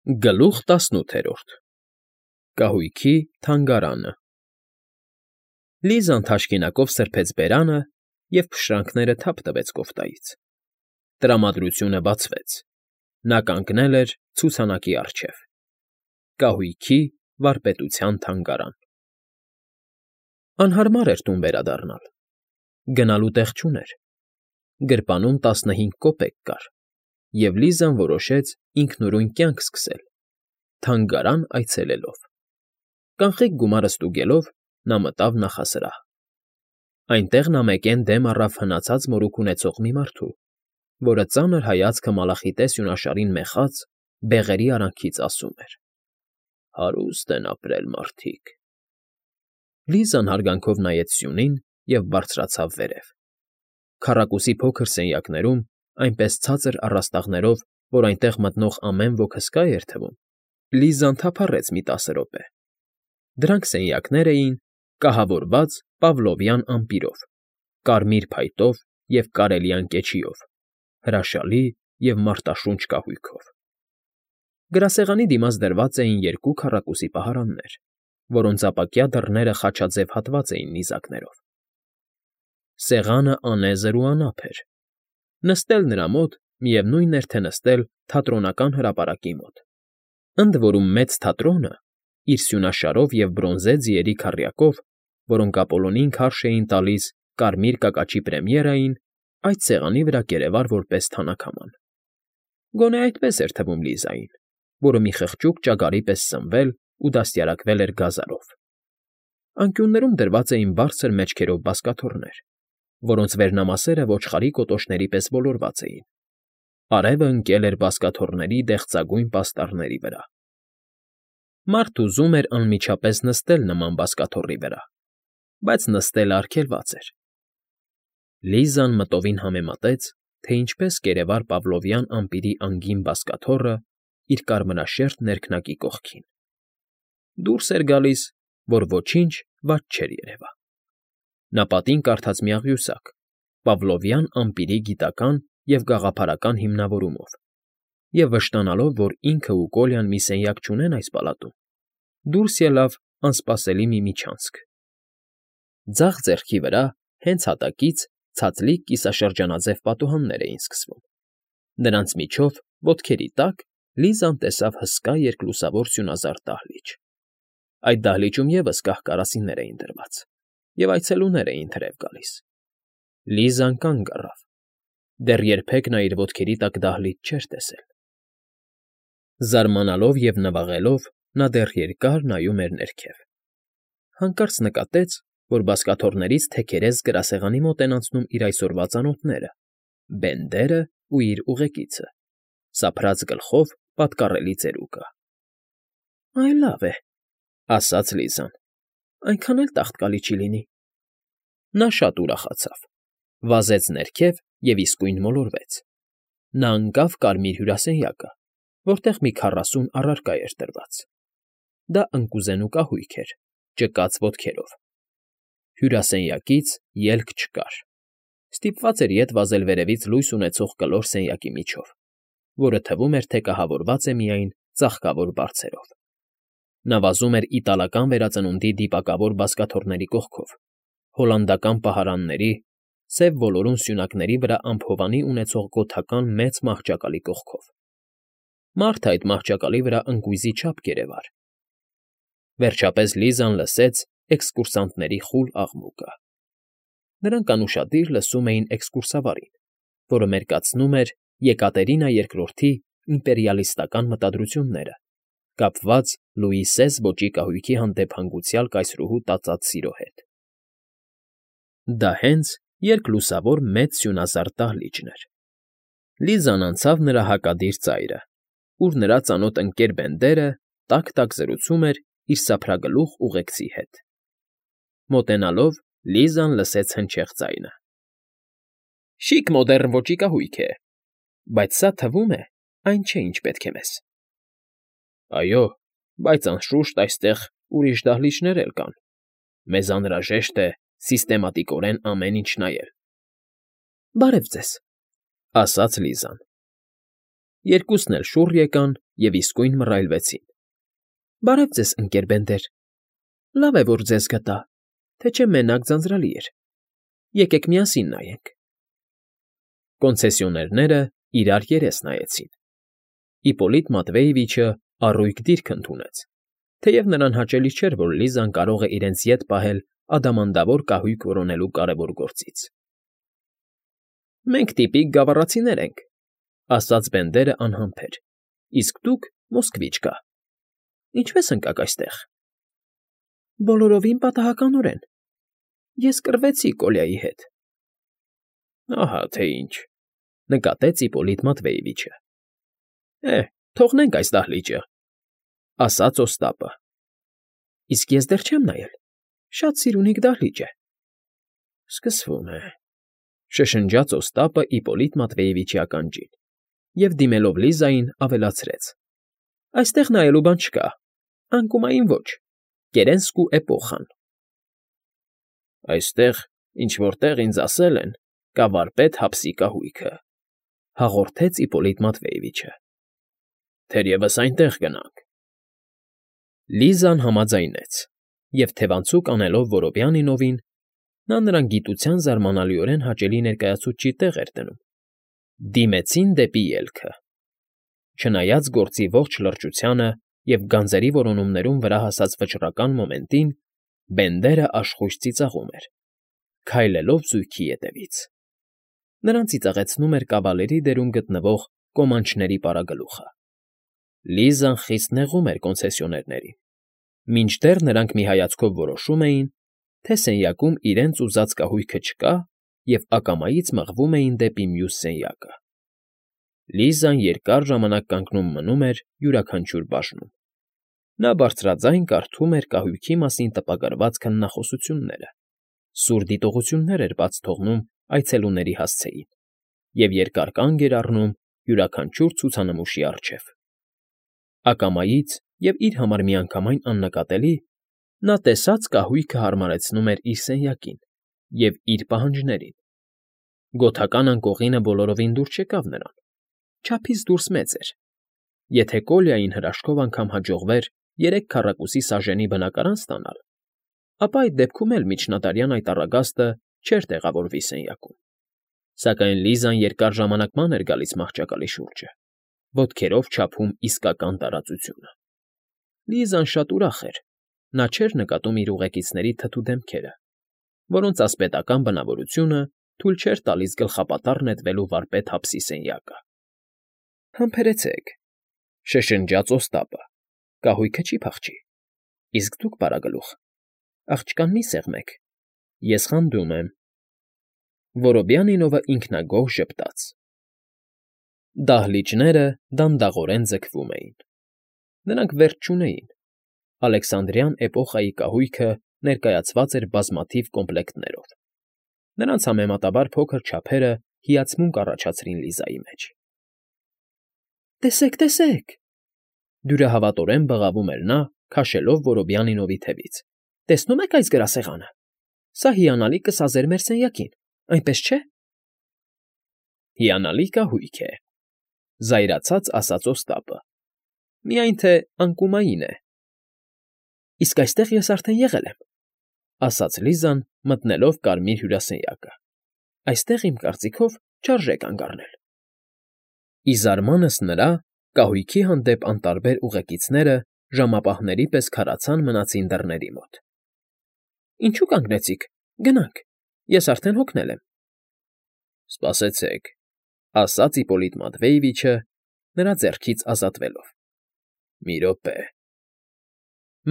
Գլուխ 18 Կահույքի թանգարանը Լիզան թաշկինակով սրբեց բերանը և փշրանքները թափ տվեց կոֆտայից։ Տրամադրությունը բացվեց։ Նա կանգնել էր ցուցանակի առջև։ Կահույքի վարպետության թանգարան։ Անհարմար էր տուն վերադառնալ։ Գնալու տեղ չուներ։ Գրպանում 15 կոպեկ կար, և Լիզան որոշեց ինքնուրույն կյանք սկսել, թանգարան այցելելով։ Կանխիկ գումարը ստուգելով՝ նա մտավ նախասրահ։ Այնտեղ նա մեկեն դեմ առավ հնացած մորուք ունեցող մի մարդու, որը ծանր հայացքը մալախիտե սյունաշարին մեխած, բեղերի արանքից ասում էր. «Հարուստ են ապրել մարդիկ»։ Լիզան հարգանքով նայեց սյունին և բարձրացավ վերև։ Քառակուսի փոքր սենյակներում, այնպես ցածր առաստաղներով, որ այնտեղ մտնող ամեն ոք հսկա էր թվում, Լիզան թափառեց մի 10 րոպե։ Դրանք սենյակներ էին՝ կահավորված պավլովյան ամպիրով, կարմիր փայտով և կարելյան կեչիով, հրաշալի և մարտաշունչ կահույքով։ Գրասեղանի դիմաց դրված էին 2 քառակուսի պահարաններ, որոնց ապակյա դռները խաչաձև հատված էին նիզակներով։ Սեղանը անեզր ու անափ էր։ Նստել նրա մոտ միևնույն էր, թե նստել թատրոնական հրապարակի մոտ, ընդ որում մեծ թատրոնը, իր սյունաշարով և բրոնզե ձիերի քառյակով, որոնք Ապոլոնին քարշ էին տալիս կարմիր կակաչի պրեմիերային, այդ սեղանի վրա կերևար որպես թանաքաման։ Գոնե այդպես էր թվում Լիզային, որը մի խղճուկ ճագարի պես սնվել ու դաստիարակվել էր գազանով։ Անկյուններում դրված էին բարձր մեջքերով բազկաթոռներ, որոնց վերնամասերը ոչխարի կոտոշների պես ոլորված էին։ Արևը ընկել էր բազկաթոռների դեղցագույն պաստառների վրա։ Մարդ ուզում էր անմիջապես նստել նման բազկաթոռի վրա, բայց նստելը արգելված էր։ Լիզան մտովին համեմատեց, թե ինչպես կերևար պավլովյան ամպիրի անգին բազկաթոռը իր կարմրաշերտ ներքնակի կողքին։ Դուրս էր գալիս, որ ոչինչ վատ չէր երևա։ Նա պատին կարդաց մի աղյուսակ՝ Պավլովյան ամպիրի գիտական և գաղափարական հիմնավորումով, և վշտանալով, որ ինքը ու Կոլյան մի սենյակ չունեն այս պալատում, դուրս ելավ անսպասելի մի միջանցք։ Ձախ ձեռքի վրա, հենց հատակից, ցածլիկ կիսաշրջանաձև պատուհաններ էին սկսվում։ Նրանց միջով, ոտքերի տակ, Լիզան տեսավ հսկա երկլուսավոր սյունազարդ դահլիճ։ Այդ դահլիճում ևս կահ֊կարասիներ էին դրված, և այցելուներ էին թրև գալիս։ Լիզան կանգ առավ։ Դեռ երբեք նա իր ոտքերի տակ դահլիճ չէր տեսել։ Զարմանալով և նվաղելով՝ նա դեռ երկար նայում էր ներքև։ Հանկարծ նկատեց, որ բազկաթոռներից թեքերես գրասեղանի մոտ են անցնում իր այսօրվա ծանոթները՝ Բենդերն ու իր ուղեկիցը, սափրած գլխով պատկառելի ծերուկը։ «Այ լավ է,֊ ասաց Լիզան,֊ այնքան էլ տաղտկալի չի լինի»։ Նա շատ ուրախացավ, վազեց ներքև և իսկույն մոլորվեց։ Նա ընկավ կարմիր հյուրասենյակը, որտեղ մի 40 առարկա էր դրված։ Դա ընկուզենու կահույք էր, ճկած ոտքերով։ Հյուրասենյակից ելք չկար։ Ստիպված էր ետ վազել վերևից լույս ունեցող կլոր սենյակի միջով, որը թվում էր, թե կահավորված է միայն ծաղկավոր բարձերով։ Նա վազում էր իտալական վերածնունդի դիպակավոր բազկաթոռների կողքով, հոլանդական պահարանների, սև ոլորուն սյունակների վրա ամփոփանի ունեցող գոթական մեծ մահճակալի կողքով։ Մարդը այդ մահճակալի վրա ընկույզի չափ կերևար։ Վերջապես Լիզան լսեց էքսկուրսանտների խուլ աղմուկը։ Նրանք անուշադիր լսում էին էքսկուրսավարին, որը մերկացնում էր Եկատերինա II-ի իմպերիալիստական մտադրությունները, կապված Լուի սез ոճի կահույքի հանդեպ հանգուցյալ կայսրուհու տածած սիրո հետ։ Դա հենց երկլուսավոր մեծ սյունազարդ դահլիճն էր։ Լիզան անցավ նրա հակադիր ծայրը, ուր նրա ծանոթ ընկեր Բենդերը տաք֊տաք զրուցում էր իր սափրագլուխ ուղեկցի հետ։ Մոտենալով՝ Լիզան լսեց հնչեղ ձայնը. «Շիկ մոդեռն ոճի կահույք է, բայց սա, թվում է, այն չէ, ինչ պետք է մեզ»։ «Այո, բայց անշուշտ այստեղ ուրիշ դահլիճներ էլ կան։ Մեզ անհրաժեշտ է սիստեմատիկորեն ամեն ինչ նայել»։ «Բարև ձեզ», ֊ ասաց Լիզան։ Երկուսն էլ շուռ եկան և իսկույն մռայլվեցին։ ֊ Բարև ձեզ, ընկեր Բենդեր, լավ է, որ ձեզ գտա, թե չէ մենակ ձանձրալի էր, եկեք միասին նայենք։ Կոնցեսիոներները իրար երես նայեցին։ Իպոլիտ Մատվեևիչը առույգ դիրք ընդունեց, թեև նրան հաճելի չէր, որ Լիզան կարող է իրենց ետ պահել ադամանդավոր կահույք որոնելու կարևոր գործից։ Մենք տիպիկ գավառացիներ ենք, ասաց Բենդերը անհամբեր, իսկ դուք Մոսկվիչկա։ Ինչպե՞ս ընկաք այստեղ։ Բոլորովին պատահականորեն։ Ես կռվեցի Կոլյայի հետ։ Ահա թե ինչ, նկատեց Իպոլիտ Մատվեևիչը։ Թողնենք այս դահլիճը, ասաց Օստապը։ Իսկ ես դեռ չեմ նայել, շատ սիրունիկ դահլիճ է։ Սկսվում է, շշնջաց Օստապը Իպոլիտ Մատվեևիչի ականջին և դիմելով Լիզային ավելացրեց. Այստեղ նայելու բան չկա, անկումային ոչ, Կերենսկու էպոխան։ Այստեղ, ինչ֊որ տեղ ինձ ասել են, կա վարպետ Հապսի կահույքը, հաղորդեց Իպոլիտ Մատվեևիչը։ Թերևս այնտեղ գնանք։ Լիզան համաձայնեց, և թևանցուկ անելով Որոբյանինովին, նա նրան գիտության զարմանալիորեն հաճելի ներկայացուցչի տեղ էր դնում, դիմեցին դեպի ելքը։ Չնայած գործի ողջ լրջությանը և գանձերի որոնումներում վրա հասած վճռական մոմենտին, Բենդերը աշխույժ ծիծաղում էր, քայլելով զույգի ետևից։ Նրան ծիծաղեցնում էր կավալերի դերում գտնվող կոմանչների պարագլուխը։ Լիզան խիստ նեղում էր կոնցեսիոներներին, մինչդեռ նրանք մի հայացքով որոշում էին, թե սենյակում իրենց ուզած կահույքը չկա և ակամայից մղվում էին դեպի մյուս սենյակը։ Լիզան երկար ժամանակ կանգնում մնում էր յուրաքանչյուր բաժնում։ Նա բարձրաձայն կարդում էր կահույքի մասին տպագրված քննախոսությունները, սուր դիտողություններ էր բաց թողնում այցելուների հասցեին և երկար կանգ էր առնում յուրաքանչյուր ցուցանմուշի առջև։ Ակամայից և իր համար միանգամայն աննկատելի նա տեսած կահույքը հարմարեցնում էր իր սենյակին և իր պահանջներին։ Գոթական անկողինը բոլորովին դուր չեկավ նրան, չափից դուրս մեծ էր։ Եթե Կոլյային հրաշքով անգամ հաջողվեր 3 քառակուսի սաժենի բնակարան ստանալ, ապա այդ դեպքում էլ միջնադարյան այդ առագաստը չէր տեղավորվի սենյակում։ Սակայն Լիզան երկար ժամանակ ման էր գալիս մահճակալի շուրջը, ոտքերով չափում իսկական տարածությունը։ Լիզան շատ ուրախ էր, նա չէր նկատում իր ուղեկիցների թթու դեմքերը, որոնց ասպետական բնավորությունը թույլ չէր տալիս գլխապատառ նետվելու վարպետ Հապսի սենյակը։ Համբերեցեք, շշնջաց Օստապը, կահույքը չի փախչի, իսկ դուք, պարագլուխ, աղջկան մի սեղմեք, ես խանդում եմ։ Որոբյանինովը ինքնագոհ ժպտաց։ Դահլիճները դանդաղորեն ձգվում էին։ Նրանք վերջ չունեին։ Ալեքսանդրյան էպոխայի կահույքը ներկայացված էր բազմաթիվ կոմպլեկտներով։ Նրանց համեմատաբար փոքր չափերը հիացմունք առաջացրին Լիզայի մեջ։ Տեսեք, տեսեք, դյուրահավատորեն բղավում էր նա, քաշելով Որոբյանինովի թևից։ Տեսնում եք այս գրասեղանը։ Սա հիանալի կսազեր մեր սենյակին, այնպես չէ։ Հիանալի կահույք է, զայրացած ասաց Օստապը։ Միայն թե անկումային է։ Իսկ այստեղ ես արդեն եղել եմ, ասաց Լիզան, մտնելով կարմիր հյուրասենյակը։ Այստեղ, իմ կարծիքով, չարժե կանգ առնել։ Ի զարմանս նրա, կահույքի հանդեպ անտարբեր ուղեկիցները ժամապահների պես քարացան մնացին դռների մոտ։ Ինչու կանգնեցիք, գնանք, ես արդեն հոգնել եմ։ Սպասեցեք, ասաց Իպոլիտ Մատվեևիչը, նրա ձեռքից ազատվելով։ Մի րոպե։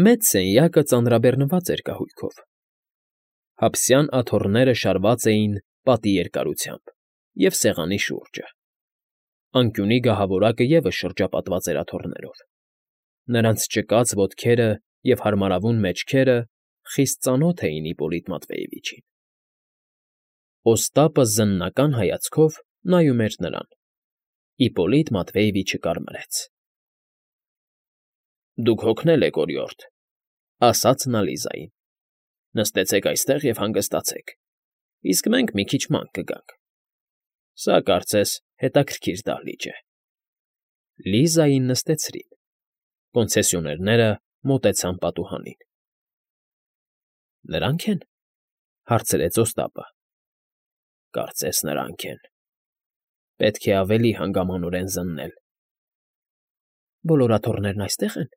Մեծ սենյակը ծանրաբեռնված էր կահույքով։ Հապսյան աթոռները շարված էին պատի երկարությամբ և սեղանի շուրջը։ Անկյունի գահավորակը ևս շրջապատված էր աթոռներով։ Նրանց ճկած ոտքերը և հարմարավուն մեջքերը խիստ ծանոթ էին Իպոլիտ Մատվեևիչին։ Օստապը զննական հայացքով նայում էր նրան։ Իպոլիտ Մատվեևիչը կարմրեց։ Դուք հոգնել եք, օրիորդ, ասաց նա Լիզային։ Նստեցեք այստեղ և հանգստացեք, իսկ մենք մի քիչ ման կգանք։ Սա, կարծես, հետաքրքիր դահլիճ է։ Լիզային նստեցրին։ Կոնցեսիոներները մոտեցան պատուհանին։ ֊ Նրանք են,֊ հարցրեց Օստապը։ Կարծես նրանք են։ Պետք է ավելի հանգամանորեն զննել։ Բոլոր աթոռներն այստե՞ղ են։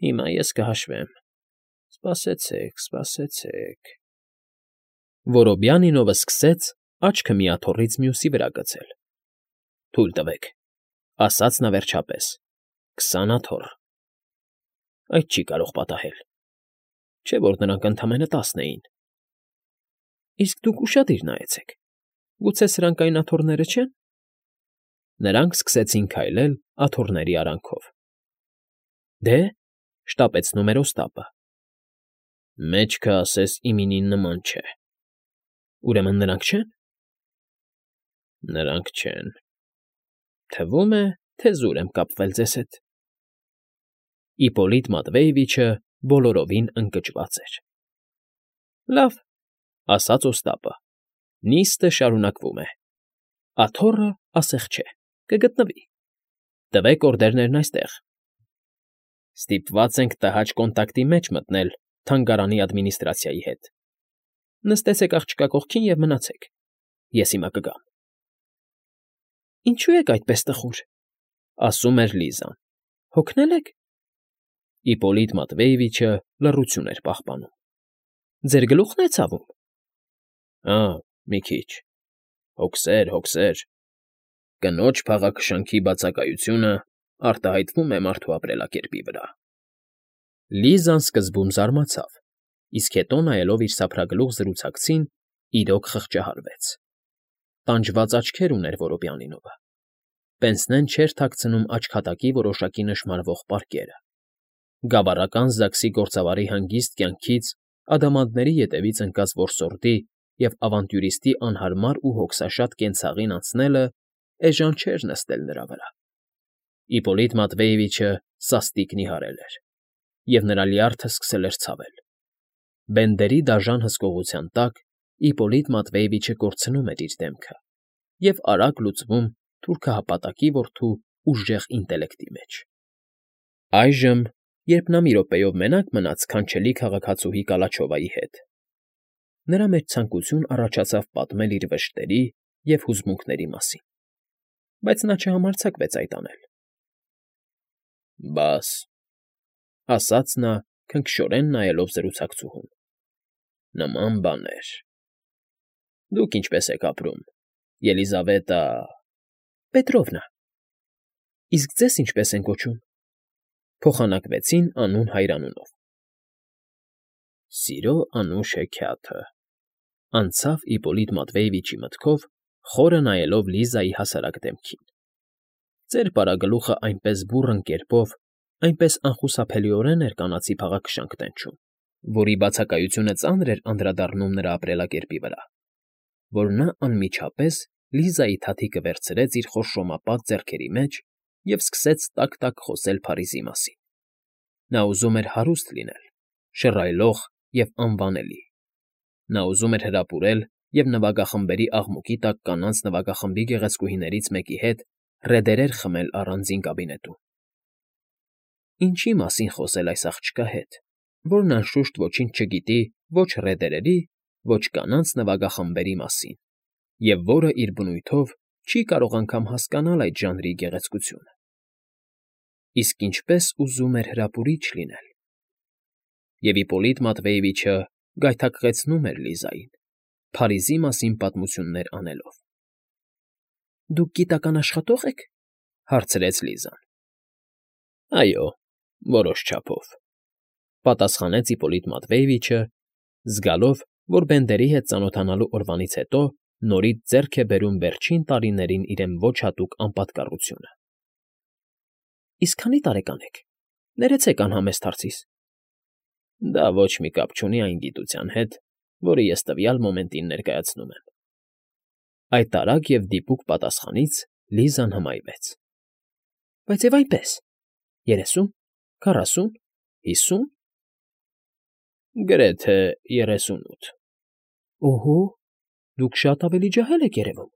Հիմա ես կհաշվեմ։ Սպասեցեք։ Որոբյանինովը սկսեց աչքը մի աթոռից մյուսի վրա գցել։ Թույլ տվեք,֊ ասաց նա վերջապես։ 20 աթոռ։ Այդ չի կարող պատահել։ Չէ՞ որ նրանք ընդամենը 10 էին։ Իսկ դուք ուշադիր նայեցեք։ Գուցե սրանք այն աթոռները չեն։ Նրանք սկսեցին քայլել աթոռների արանքով։ Դե,֊ շտապեցնում էր Օստապը։ Մեջքը, ասես, իմինին նման չէ։ Ուրեմն նրանք չե՞ն։ Նրանք չեն։ Թվում է, թե զուր եմ կապվել ձեզ հետ։ Իպոլիտ Մատվեևիչը բոլորովին ընկճված էր։ Լավ,֊ ասաց Օստապը։ Նիստը շարունակվում է։ Աթոռը ասեղ չէ, կգտնվի։ Տվեք օրդերներն այստեղ։ Ստիպված ենք տհաճ կոնտակտի մեջ մտնել թանգարանի ադմինիստրացիայի հետ։ Նստեցեք աղջկա կողքին և մնացեք։ Ես հիմա կգամ։ Ինչու եք այդպես տխուր,֊ ասում էր Լիզան։ Հոգնել եք։ Իպոլիտ Մատվեևիչը լռություն էր պահպանում։ Ձեր գլուխն է ցավում։ Մի քիչ։ Հոգսեր։ Կնոջ փաղաքշանքի բացակայությունը արտահայտվում է մարդու ապրելակերպի վրա։ Լիզան սկզբում զարմացավ, իսկ հետո նայելով իր սափրագլուխ զրուցակցին, իրոք խղճահարվեց։ Տանջված աչքեր ուներ Որոբյանինովը։ Պենսնեն չէր թաքցնում աչքատակի որոշակի նշմարվող պարկերը։ Գավառական Զաքսի գործավարի հանգիստ կյանքից ադամանդների ետևից ընկած որսորդի և ավանտյուրիստի անհարմար ու հոգսաշատ կենցաղին անցնելը էժան չէր նստել նրա վրա։ Իպոլիտ Մատվեևիչը սաստիկ նիհարել էր, և նրա լյարդը սկսել էր ցավել։ Բենդերի դաժան հսկողության տակ Իպոլիտ Մատվեևիչը կորցնում էր իր դեմքը և արագ լուծվում թուրքահպատակի որդու ուժեղ ինտելեկտի մեջ։ Այժմ, երբ նա մի րոպեով մենակ մնաց քանչելի քաղաքացուհի Կալաչովայի հետ, նրա մեջ ցանկություն առաջացավ պատմել իր վշտերի և հուզմունքների մասին, բայց նա չհամարձակվեց այդ անել։ Բաս,֊ ասաց նա, քնքշորեն նայելով զրուցակցուհուն,֊ նման բաներ… Դուք ինչպես եք ապրում, Ելիզավետա… Պետրովնա։ Իսկ ձեզ ինչպես են կոչում։ Փոխանակվեցին անուն հայրանունով։ Սիրո անուշ հեքիաթը,֊ անցավ Իպոլիտ Մատվեևիչի մտքով, խորը նայելով Լիզայի հասարակ դեմքին։ Ձեր պարագլուխը այնպես բուռն կերպով, այնպես անխուսափելիորեն էր կանացի փաղաքշանք տենչում, որի բացակայությունը ծանր էր անդրադառնում նրա ապրելակերպի վրա, որ նա անմիջապես Լիզայի թաթիկը վերցրեց իր խորշոմապատ ձեռքերի մեջ և սկսեց տաք֊տաք խոսել Փարիզի մասին։ Նա ուզում էր հարուստ լինել, շռայլող և անվանելի։ Նա ուզում էր հրապուրել և նվագախմբերի աղմուկի տակ կանանց նվագախմբի գեղեցկուհիներից մեկի հետ ռեդերեր խմել առանձին կաբինետում։ Ինչի՞ մասին խոսել այս աղջկա հետ, որն անշուշտ ոչինչ չգիտի ոչ ռեդերերի, ոչ կանանց նվագախմբերի մասին, և որը իր բնույթով չի կարող անգամ հասկանալ այդ ժանրի գեղեցկությունը։ Իսկ ինչպես ուզում էր հրապուրիչ լինել… Եվ Իպոլիտ Մատվեևիչը գայթակղեցնում էր Լիզային, Փարիզի մասին պատմություններ անելով։ Դուք գիտական աշխատո՞ղ եք,֊ հարցրեց Լիզան։ Այո, որոշ չափով,֊ պատասխանեց Իպոլիտ Մատվեևիչը, զգալով, որ Բենդերի հետ ծանոթանալու օրվանից հետո նորից ձեռք է բերում վերջին տարիներին իրեն ոչ հատուկ անպատկառությունը։ Իսկ քանի՞ տարեկան եք։ Ներեցեք անհամեստ հարցիս։ Դա ոչ մի կապ չունի այն գիտության հետ, որը ես տվյալ մոմենտին ներկայացնում եմ։ Այդ արագ և դիպուկ պատասխանից Լիզան հմայվեց։ Բայց և այնպես… 30, 40, 50… Գրեթե 38։ Օհո, դուք շատ ավելի ջահել եք երևում։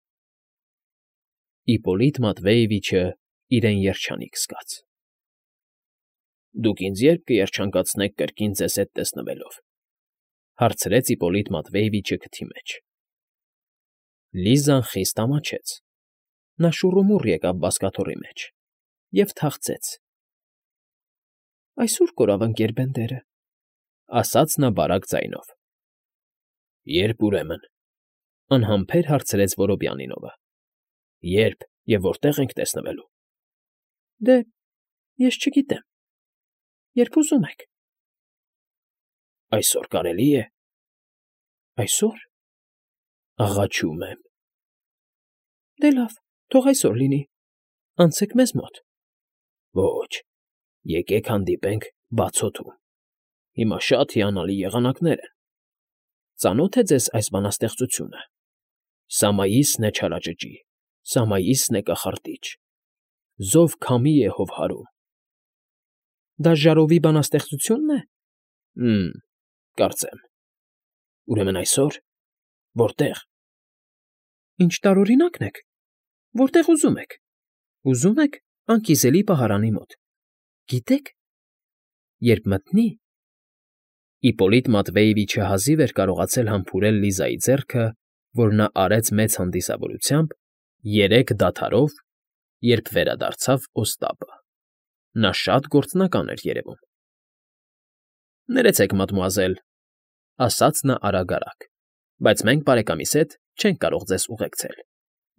Իպոլիտ Մատվեևիչը իրեն երջանիկ զգաց։ Դուք ինձ ե՞րբ կերջանկացնեք կրկին ձեզ հետ տեսնվելով,֊ հարցրեց Իպոլիտ Մատվեևիչը քթի մեջ։ Լիզան խիստ ամաչեց։ Նա շուռումուռ եկավ բազկաթոռի մեջ և թախծեց։ «Այսօր կորավ ընկեր Բենդերը,֊ ասաց նա բարակ ձայնով։ Ե՞րբ ուրեմն,֊ անհամբեր հարցրեց Որոբյանինովը։ Ե՞րբ և որտե՞ղ ենք տեսնվելու։ Դե, ես չգիտեմ, երբ ուզում եք։ Այսօր կարելի է։ Այսօր։ Աղաչում եմ։ Դե լավ, թող այսօր լինի, անցեք մեզ մոտ։ Ոչ, եկեք հանդիպենք բաց օդում։ Հիմա շատ հիանալի եղանակներ են։ Ծանո՞թ է ձեզ այս բանաստեղծությունը. Սամայիսն է չարաճճի, Սամայիսն է կախարդիչ, Զով քամի է հովհարում։ Դա Ժարովի բանաստեղծությո՞ւնն է։ Կարծեմ։ Ուրեմն այսօր, որտե՞ղ։ Ինչ տարօրինակն եք, որտեղ ուզում եք։ Ուզում եք անկիզելի պահարանի մոտ։ Գիտեք, երբ մտնի… Իպոլիտ Մատվեևիչը հազիվ էր կարողացել համբուրել Լիզայի ձեռքը, որ նա արեց մեծ հանդիսավորությամբ, 3 դադարով, երբ վերադարձավ Օստապը։ Նա շատ գործնական էր երևում։ Ներեցեք, մադմուազել,֊ ասաց նա արագ֊արագ, բայց մենք բարեկամիս հետ չենք կարող ձեզ ուղեկցել։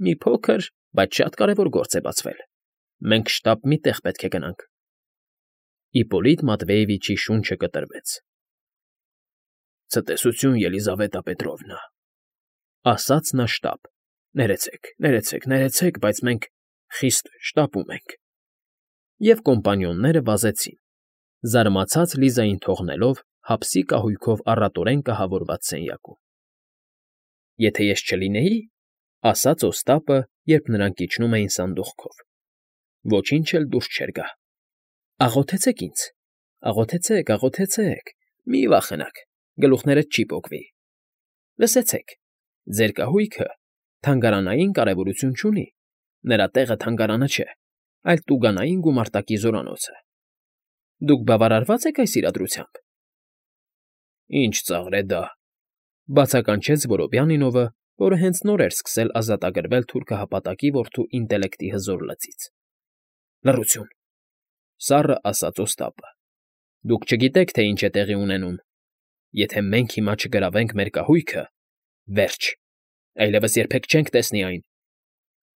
Մի փոքր, բայց շատ կարևոր գործ է բացվել։ Մենք շտապ մի տեղ պետք է գնանք։ Իպոլիտ Մատվեևիչի շունչը կտրվեց։ Ցտեսություն, Ելիզավետա Պետրովնա,֊ ասաց նա շտապ։ Ներեցեք, բայց մենք խիստ շտապում ենք։ Եվ կոմպանիոնները վազեցին, զարմացած Լիզային թողնելով հապսի կահույքով առատորեն կահավորված սենյակում։ Եթե ես չլինեի,֊ ասաց Օստապը, երբ նրանք իջնում էին սանդուղքով,֊ ոչինչ էլ դուրս չէր գա։ Աղոթեցեք ինձ, աղոթեցեք, մի վախենաք, գլուխներդ չի պոկվի։ Լսեցեք, ձեր կահույքը թանգարանային կարևորություն չունի, նրա տեղը թանգարանը չէ, այլ տուգանային գումարտակի զորանոցը։ Դուք բավարարվա՞ծ եք այս իրադրությամբ։ Ինչ ծաղր է դա,֊ բացականչեց Որոբյանինովը, որը հենց նոր էր սկսել ազատագրվել թուրքահապատակի որդու ինտելեկտի հզոր լծից։ Լռություն,֊ սառը ասաց Օստապը։ Դուք չգիտեք, թե ինչ է տեղի ունենում։ Եթե մենք հիմա չգրավենք մեր կահույքը, վերջ, այլևս երբեք չենք տեսնի այն։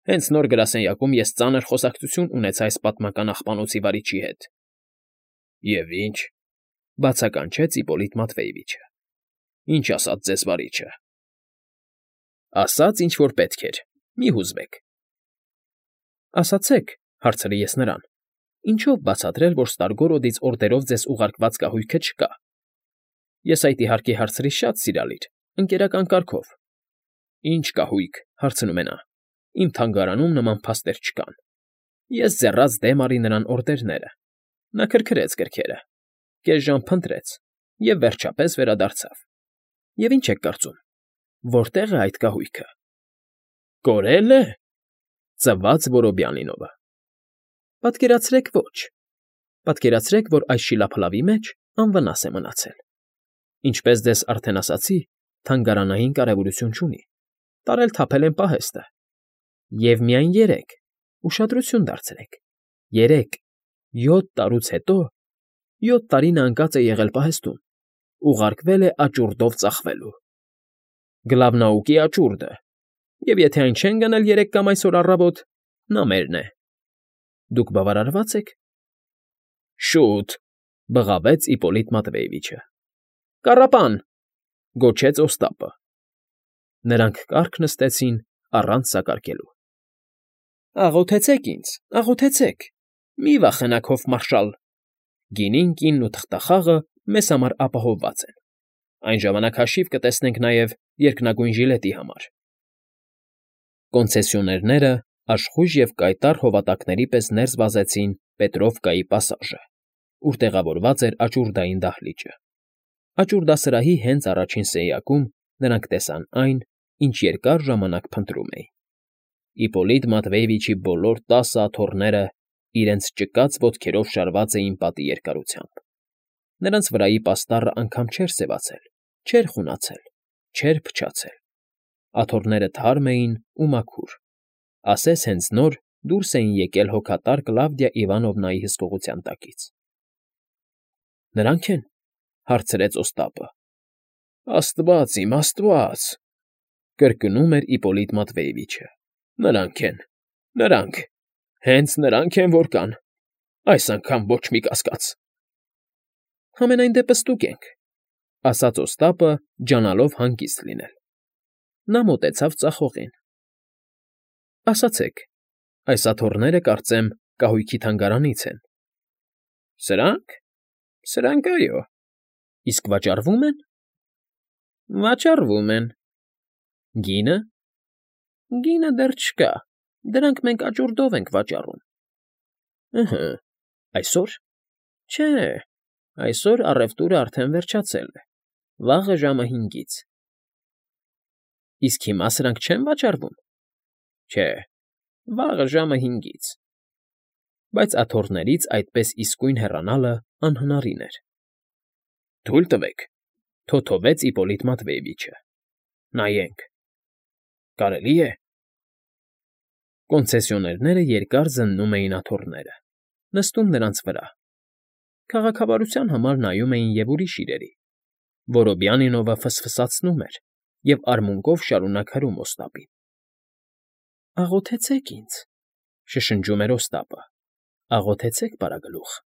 Հենց նոր գրասենյակում ես ծանր խոսակցություն ունեցա այս պատմական աղբանոցի վարիչի հետ։ Եվ ինչ,֊ բացականչեց Իպոլիտ Մատվեևիչը։ Ինչ ասաց ձեզ վարիչը։ Ասաց, ինչ որ պետք էր, մի հուզվեք։ Ասացեք,֊ հարցրի ես նրան, ինչով բացատրել, որ Ստարգորոդից օրդերով ձեզ ուղարկված կահույքը չկա։ Ես այդ իհարկե հարցրի շատ սիրալիր, ընկերական կարգով։ Ինչ կահույք,֊ հարցնում է նա, իմ թանգարանում նման փաստեր չկան։ Ես ձեռած դեմ արի նրան օրդերները։ Նա քրքրեց գրքերը, կես ժամ փնտրեց և վերջապես վերադարձավ։ Եվ ինչ եք կարծում, որտե՞ղ է այդ կահույքը։ Կորել է,֊ ծվաց Որոբյանինովը։ Պատկերացրեք, ոչ։ Պատկերացրեք, որ այս շիլափլավի մեջ անվնաս է մնացել։ Ինչպես ձեզ արդեն ասացի, թանգարանային կարևորություն չունի, տարել֊թափել են պահեստը։ Եվ միայն 3, ուշադրություն դարձրեք, 3, 7 տարուց հետո, 7 տարի նա ընկած է եղել պահեստում, ուղարկվել է աճուրդով ծախվելու։ Գլավնաուկի աճուրդը, և եթե այն չեն գնել 3 կամ այսօր առավոտ, նա մերն է։ Դուք բավարարվա՞ծ եք։ Շուտ,֊ բղավեց Իպոլիտ Մատվեևիչը։ Կառապան,֊ գոչեց Օստապը։ Նրանք կառք նստեցին առանց սակարկելու։ Աղոթեցեք ինձ, աղոթեցեք, մի վախենաք, հոֆմարշալ, գինին, կինն ու թղթախաղը մեզ համար ապահովված են։ Այն ժամանակ հաշիվ կտեսնենք նաև երկնագույն ժիլետի համար։ Կոնցեսիոներները աշխույժ և կայտառ հովատակների պես ներս վազեցին Պետրովկայի պասաժը, ուր տեղավորված էր աճուրդային դահլիճը։ Աճուրդասրահի հենց առաջին սենյակում նրանք տեսան այն, ինչ երկար ժամանակ փնտրում էին։ Իպոլիտ Մատվեևիչի բոլոր 10 աթոռները իրենց ճկած ոտքերով շարված էին պատի երկարությամբ։ Նրանց վրայի պաստառը անգամ չէր սևացել, չէր խունացել, չէր փչացել։ Աթոռները թարմ էին ու մաքուր, ասես հենց նոր դուրս էին եկել հոգատար Կլավդիա Իվանովնայի հսկողության տակից։ ֊ Նրանք են,֊ հարցրեց Օստապը։ ֊ Աստված իմ, աստված,֊ կրկնում էր Իպոլիտ Մատվեևիչը։ Նրանք են, նրանք, հենց նրանք են, որ կան, այս անգամ ոչ մի կասկած։ ֊ Համենայն դեպս ստուգ ենք,֊ ասաց Օստապը, ջանալով հանգիստ լինել։ Նա մոտեցավ ծախողին։ ֊ Ասացեք, այս աթոռները, կարծեմ, կահույքի թանգարանից են։ ֊ Սրա՞նք, սրանք, այո։ ֊ Իսկ վաճառվո՞ւմ են։ ֊ Վաճառվում են։ ֊ Գինը։ ֊ Գինը դեռ չկա, դրանք մենք աճուրդով ենք վաճառում։ ֊ Ըհը, այսօր։ ֊ Չէ, այսօր առևտուրը արդեն վերջացել է, վաղը ժամը 5-ից։ ֊ Իսկ հիմա սրանք չե՞ն վաճառվում։ ֊ Չէ, վաղը ժամը 5-ից։ Բայց աթոռներից այդպես իսկույն հեռանալը անհնարին էր։ ֊ Թույլ տվեք,֊ թոթովեց Իպոլիտ Մատվեևիչը։ ֊ Նայենք… Կարելի է… Կոնցեսիոներները երկար զննում էին աթոռները, նստում նրանց վրա, քաղաքավարության համար նայում էին և ուրիշ իրերի։ Որոբյանինովը ֆսֆսացնում էր և արմունկով շարունակ հրում Օստապին։ ֊ Աղոթեցեք ինձ,֊ շշնջում էր Օստապը,֊ աղոթեցեք, պարագլուխ…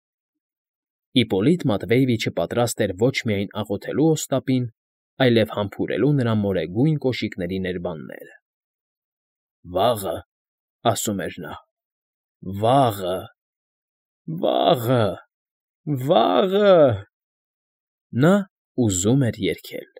Իպոլիտ Մատվեևիչը պատրաստ էր ոչ միայն աղոթելու Օստապին, այլև համբուրելու նրա մորեգույն կոշիկների ներբանները։ «Վաղը,֊ ասում էր նա,֊ վաղը, վաղը, վաղը…» Նա ուզում էր երգել։